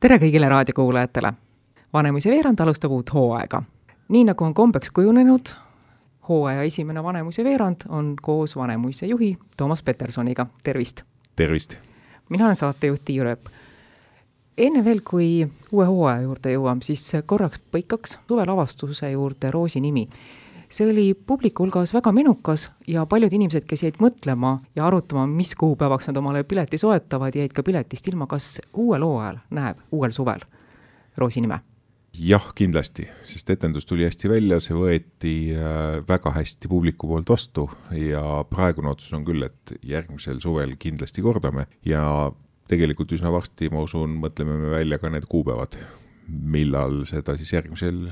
Tere kõigile raadiokuulajatele! Vanemuise veerand alustab uut hooaega. Nii nagu on kombeks kujunenud, hooaja esimene Vanemuise veerand on koos Vanemuise juhi Toomas Petersoniga. Tervist! Tervist! Mina olen saatejuht Tiiu Rööp. Enne veel, kui uue hooaja juurde jõuam, siis korraks põikaks suvelavastuse juurde Roosi nimi. See oli publiku hulgas väga menukas ja paljud inimesed, kes jäid mõtlema ja arutama, mis kuupäevaks nad omale pileti soetavad, jäid ka piletist ilma, kas uuel hooajal näeb uuel suvel Roosi nime? Jah, kindlasti, sest etendus tuli hästi välja, see võeti väga hästi publiku poolt vastu ja praegune otsus on küll, et järgmisel suvel kindlasti kordame ja tegelikult üsna varsti, ma usun, mõtleme me välja ka need kuupäevad, millal seda siis järgmisel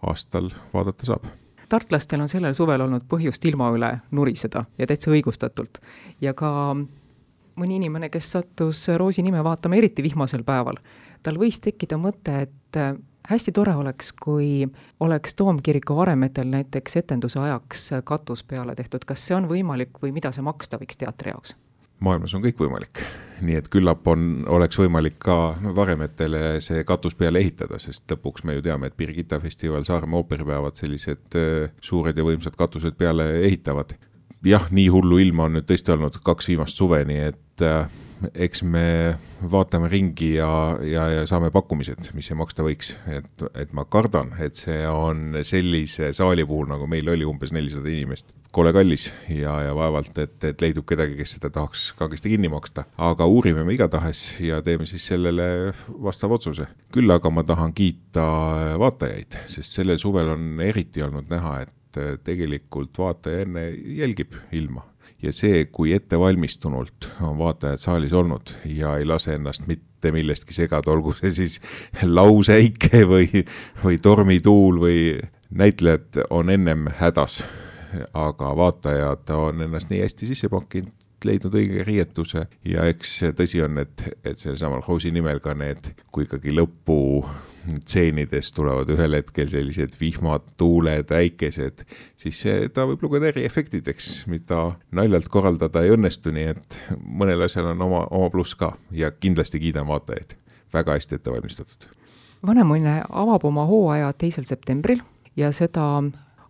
aastal vaadata saab. Tartlastel on sellel suvel olnud põhjust ilma üle nuriseda ja täitsa õigustatult. Ja ka mõni inimene, kes sattus Roosi nime vaatama eriti vihmasel päeval, tal võis tekkida mõte, et hästi tore oleks, kui oleks Toomkiriku varemetel näiteks etenduse ajaks katus peale tehtud. Kas see on võimalik või mida see maksta võiks teatri jaoks? Maailmas on kõik võimalik, nii et küllap oleks võimalik ka varemetele see katus peale ehitada, sest lõpuks me ju teame, et Birgitta festival, Saaremaa ooperipäevad sellised suured ja võimsad katused peale ehitavad. Jah, nii hullu ilma on nüüd tõesti olnud 2 viimast suve, nii et eks me vaatame ringi ja saame pakkumised, mis see maksta võiks. Et ma kardan, et see on sellise saali puhul, nagu meil oli umbes 400 inimest, kole kallis ja vaevalt, et leidub kedagi, kes seda tahaks kagesti kinni maksta. Aga uurime me igatahes ja teeme siis sellele vastav otsuse. Küll aga ma tahan kiita vaatajaid, sest sellel suvel on eriti olnud näha, et tegelikult vaataja enne jälgib ilma. Ja see, kui ettevalmistunult on vaatajad saalis olnud ja ei lase ennast mitte millestki segada, olgu see siis lausäike või tormituul või näitlejad on ennem hädas, aga vaatajad on ennast nii hästi sisse pakkinud, leidnud õige riietuse ja eks tõsi on, et selle samal Roosi nimel ka need, kui ikkagi lõppu tseenides tulevad ühel hetkel sellised vihmad, tuuled, äikesed, siis ta võib lugeda eriefektideks, mida naljalt korraldada ei õnnestu, nii et mõnel asjal on oma pluss ka ja kindlasti kiidan vaatajaid. Väga hästi ette valmistatud. Vanemuine avab oma hooaja 2. septembril ja seda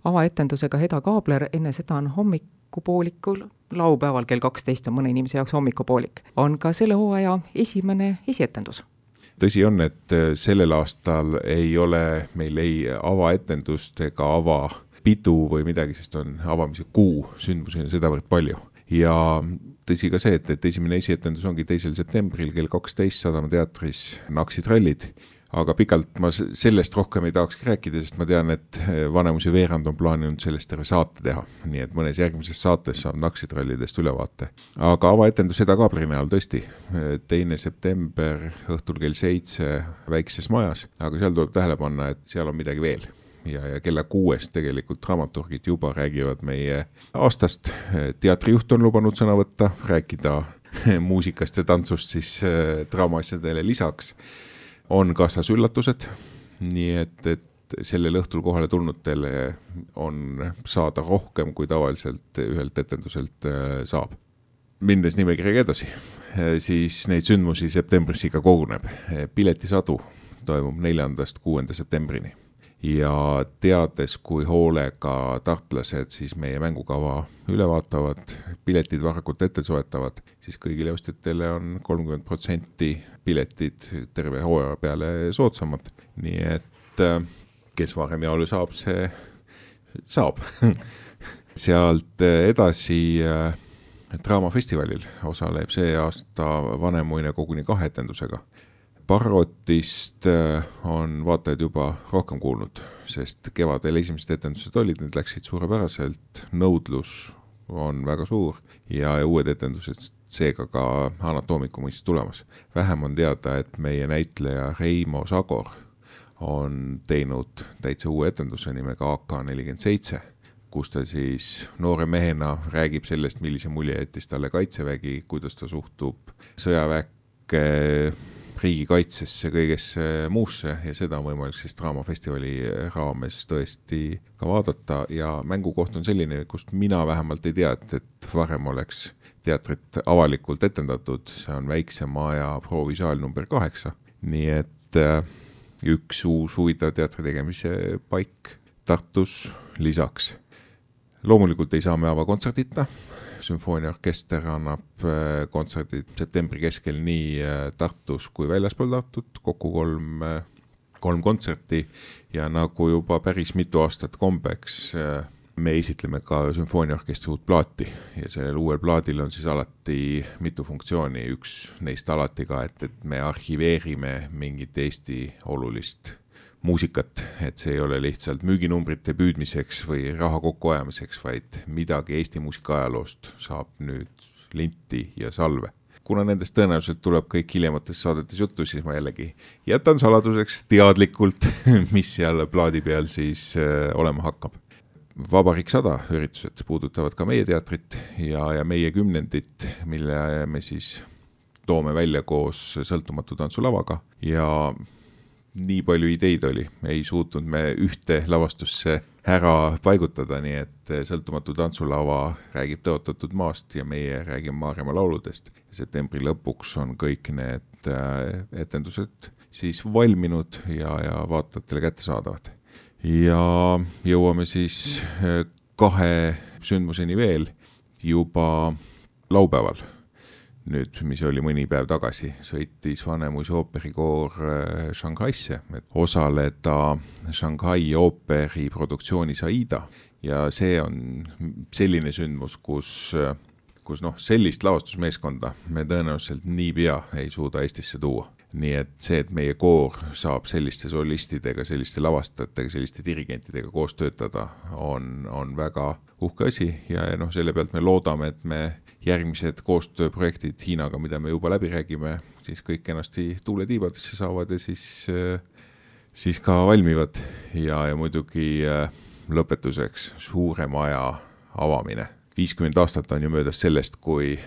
avaetendusega Heda Kaabler, enne seda on hommikupoolikul, laupäeval kell 12 on mõne inimese jaoks hommikupoolik, on ka selle hooaja esimene esietendus. Tõsi on, et sellel aastal ei ole meil ei avaetendust ega avapidu või midagi, sest on avamise kuu sündmusi sedavõrd palju. Ja tõsi ka see, et esimene esietendus ongi 2. septembril kell 12 Sadama teatris Naksid rallid. Aga pikalt ma sellest rohkem ei tahaks rääkida, sest ma tean, et Vanemuise veerand on plaaninud sellest terve saate teha. Nii et mõnes järgmises saates saab Naksid rallidest ülevaate. Aga avaetendus Heda Kaableri näol tõesti. 2. september õhtul kell 7 väikses majas, aga seal tuleb tähele panna, et seal on midagi veel. Ja kella 6 tegelikult dramaturgid juba räägivad meie aastast. Teatrijuht on lubanud sõna võtta, rääkida muusikast ja tantsust siis draamaasjadele lisaks. On kaasas üllatused, nii et sellel õhtul kohale tulnutele on saada rohkem, kui tavaliselt ühelt etenduselt saab. Minnes nimekirjaga edasi, siis neid sündmusi septembris ikka koguneb. Piletisadu toimub 4.–6. septembrini ja teades, kui hoolega tartlased siis meie mängukava üle vaatavad, piletid varakult ette soetavad, siis kõigile ostjatele on 30% piletid terve hooaja peale soodsamad. Nii et kes varem jaole saab, see saab. Sealt edasi draamafestivalil osaleb see aasta Vanemuine koguni 2 etendusega. Parrotist on vaatajad juba rohkem kuulnud, sest kevadel esimesed etendused olid, need läksid suurepäraselt, nõudlus on väga suur ja uued etendused seega ka Anatoomiku mõistes tulemas. Vähem on teada, et meie näitleja Reimo Sagor on teinud täitsa uue etenduse nimega AK-47, kus ta siis noore mehena räägib sellest, millise mulje jättis talle kaitsevägi, kuidas ta suhtub sõjaväkke, riigikaitsesse, kõigesse muusse ja seda on võimalik siis draamafestivali raames tõesti ka vaadata ja mängukoht on selline, kust mina vähemalt ei tea, et varem oleks teatrit avalikult etendatud, see on väikse maja proovisaal number 8, nii et üks uus huvitav teatri tegemise paik Tartus lisaks. Loomulikult ei saa me avakontserdita. Sümfooniaorkester annab kontserdid septembri keskel nii Tartus kui väljaspool Tartut, kokku kolm kontserti ja nagu juba päris mitu aastat kombeks me esitleme ka sümfooniaorkestri uut plaati ja sellel uuel plaadil on siis alati mitu funktsiooni, üks neist alati ka, et me arhiveerime mingit Eesti olulist muusikat, et see ei ole lihtsalt müüginumbrite püüdmiseks või raha kokkuajamiseks, vaid midagi Eesti muusika ajaloost saab nüüd linti ja salve. Kuna nendest tõenäoliselt tuleb kõik hiljemates saadetes juttu, siis ma jällegi jätan saladuseks teadlikult, mis seal plaadi peal siis olema hakkab. Vabariik 100 üritused puudutavad ka meie teatrit ja meie 10. mille me siis toome välja koos sõltumatu tantsulavaga ja nii palju ideid oli, ei suutnud me ühte lavastusse ära paigutada, nii et sõltumatu tantsulava räägib tõotatud maast ja meie räägime Maaremaa lauludest. Septembri lõpuks on kõik need etendused siis valminud ja vaatajatele kättesaadavad. Ja jõuame siis 2 sündmuseni veel juba laupäeval. Nüüd, mis oli mõni päev tagasi, sõitis Vanemuise ooperikoor Shanghaisse, et osaleda Shanghai ooperi produktsioonis Aida. Ja see on selline sündmus, kus sellist lavastusmeeskonda me tõenäoliselt nii pea ei suuda Eestisse tuua. Nii et see, et meie koor saab selliste solistidega, selliste lavastajatega, selliste dirigentidega koos töötada, on väga uhke asi ja selle pealt me loodame, et me järgmised koostööprojektid Hiinaga, mida me juba läbi räägime, siis kõik ennasti tuuletiibadesse saavad ja siis ka valmivad ja muidugi lõpetuseks suure maja avamine. 50 aastat on ju möödas sellest, kui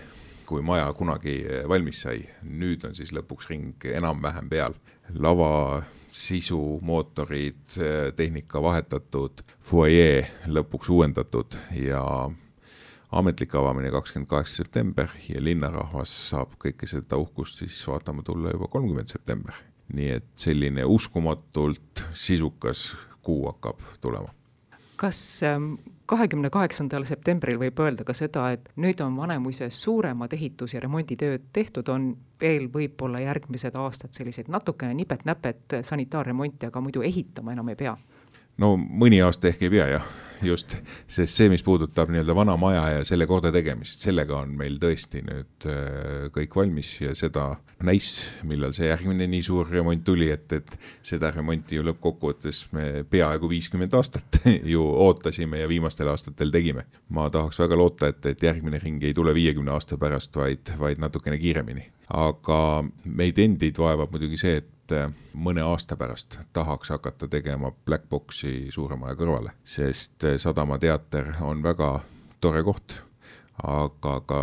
maja kunagi valmis sai. Nüüd on siis lõpuks ring enam-vähem peal. Lava, sisu, mootorid, tehnika vahetatud, foyer lõpuks uuendatud ja ametlik avamine 28. september ja linnarahvas saab kõike seda uhkust siis vaatama tulla juba 30. september. Nii et selline uskumatult sisukas kuu hakkab tulema. Kas 28. septembril võib öelda ka seda, et nüüd on Vanemuise suuremad ehitus- ja remonditööd tehtud, on veel võib-olla järgmised aastad selliseid natukene nipet-näpet sanitaarremonti, aga muidu ehitama enam ei pea? No mõni aasta ehk ei pea jah, just, sest see, mis puudutab nii-öelda vana maja ja selle korda tegemist, sellega on meil tõesti nüüd kõik valmis ja seda näis, millal see järgmine nii suur remont tuli, et seda remonti ju lõppkokkuvõttes me peaaegu 50 aastat ju ootasime ja viimastel aastatel tegime. Ma tahaks väga loota, et järgmine ring ei tule 50 aasta pärast, vaid natukene kiiremini. Aga meid endid vaevab muidugi see, et mõne aasta pärast tahaks hakata tegema Black Boxi suure maja kõrvale, sest Sadama teater on väga tore koht, aga ka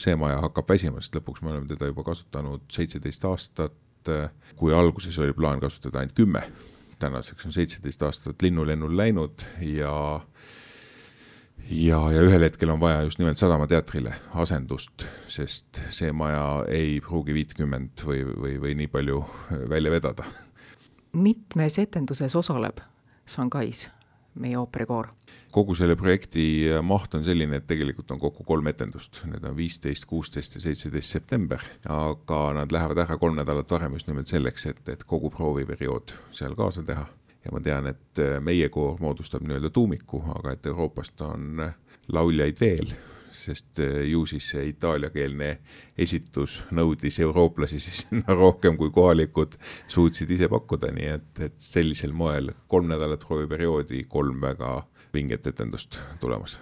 see maja hakkab väsima, sest lõpuks me oleme teda juba kasutanud 17 aastat, kui alguses oli plaan kasutada ainult 10. Tänaseks on 17 aastat linnulennul läinud ja ühel hetkel on vaja just nimelt Sadama teatrile asendust, sest see maja ei pruugi 50 või nii palju välja vedada. Mitmes etenduses osaleb Shanghais meie ooperikoor? Kogu selle projekti maht on selline, et tegelikult on kokku 3 etendust. Need on 15, 16 ja 17 september, aga nad lähevad ära 3 nädalat varem just nimelt selleks, et kogu prooviperiood seal kaasa teha. Ja ma tean, et meie koor moodustab nii-öelda tuumiku, aga et Euroopast on lauljaid veel, sest ju siis see itaaliakeelne esitus nõudis eurooplasi siis rohkem kui kohalikud suutsid ise pakkuda, nii et sellisel moel 3 nädalat prooviperioodi, 3 väga vinget etendust tulemas.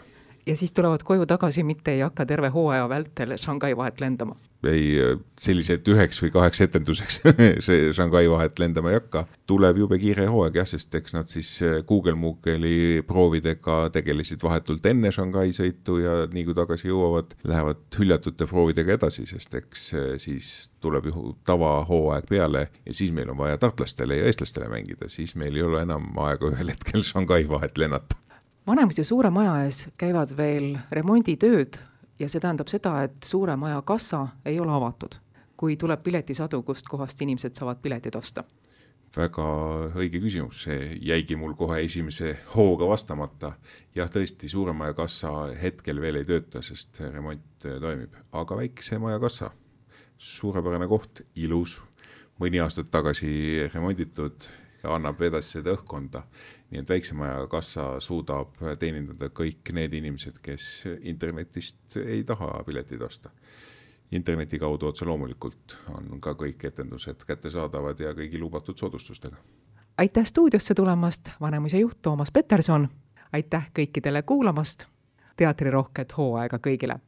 Ja siis tulevad koju tagasi, mitte ei hakka terve hooaja vältel Shanghai vahet lendama? Ei, sellised 9 või 8 etenduseks see Shanghai vahet lendama ei hakka. Tuleb jube kiire hooaeg, jah, sest eks nad siis Google Mookeli proovidega tegelesid vahetult enne Shanghai sõitu ja nii kui tagasi jõuavad, lähevad hüljatute proovidega edasi, sest eks siis tuleb ju tavahooaeg peale ja siis meil on vaja tartlastele ja eestlastele mängida, siis meil ei ole enam aega ühel hetkel Shanghai vahet lennata. Vanemuise suure maja ees käivad veel remonditööd ja see tähendab seda, et suure maja kassa ei ole avatud, kui tuleb piletisadu, kust kohast inimesed saavad piletid osta. väga õige küsimus, see jäigi mul kohe esimese hooga vastamata. Jah, tõesti, Suure Maja kassa hetkel veel ei tööta, sest remont toimib, aga Väikese Maja kassa, suurepärane koht, ilus, mõni aastat tagasi remonditud ja annab edasi seda õhkkonda. Nii et Väikese Maja kassa suudab teenindada kõik need inimesed, kes internetist ei taha piletid osta. Interneti kaudu otse loomulikult on ka kõik etendused kättesaadavad ja kõigi lubatud soodustustega. Aitäh stuudiosse tulemast, Vanemuise juht Toomas Peterson. Aitäh kõikidele kuulamast. Teatrirohket hooaega kõigile!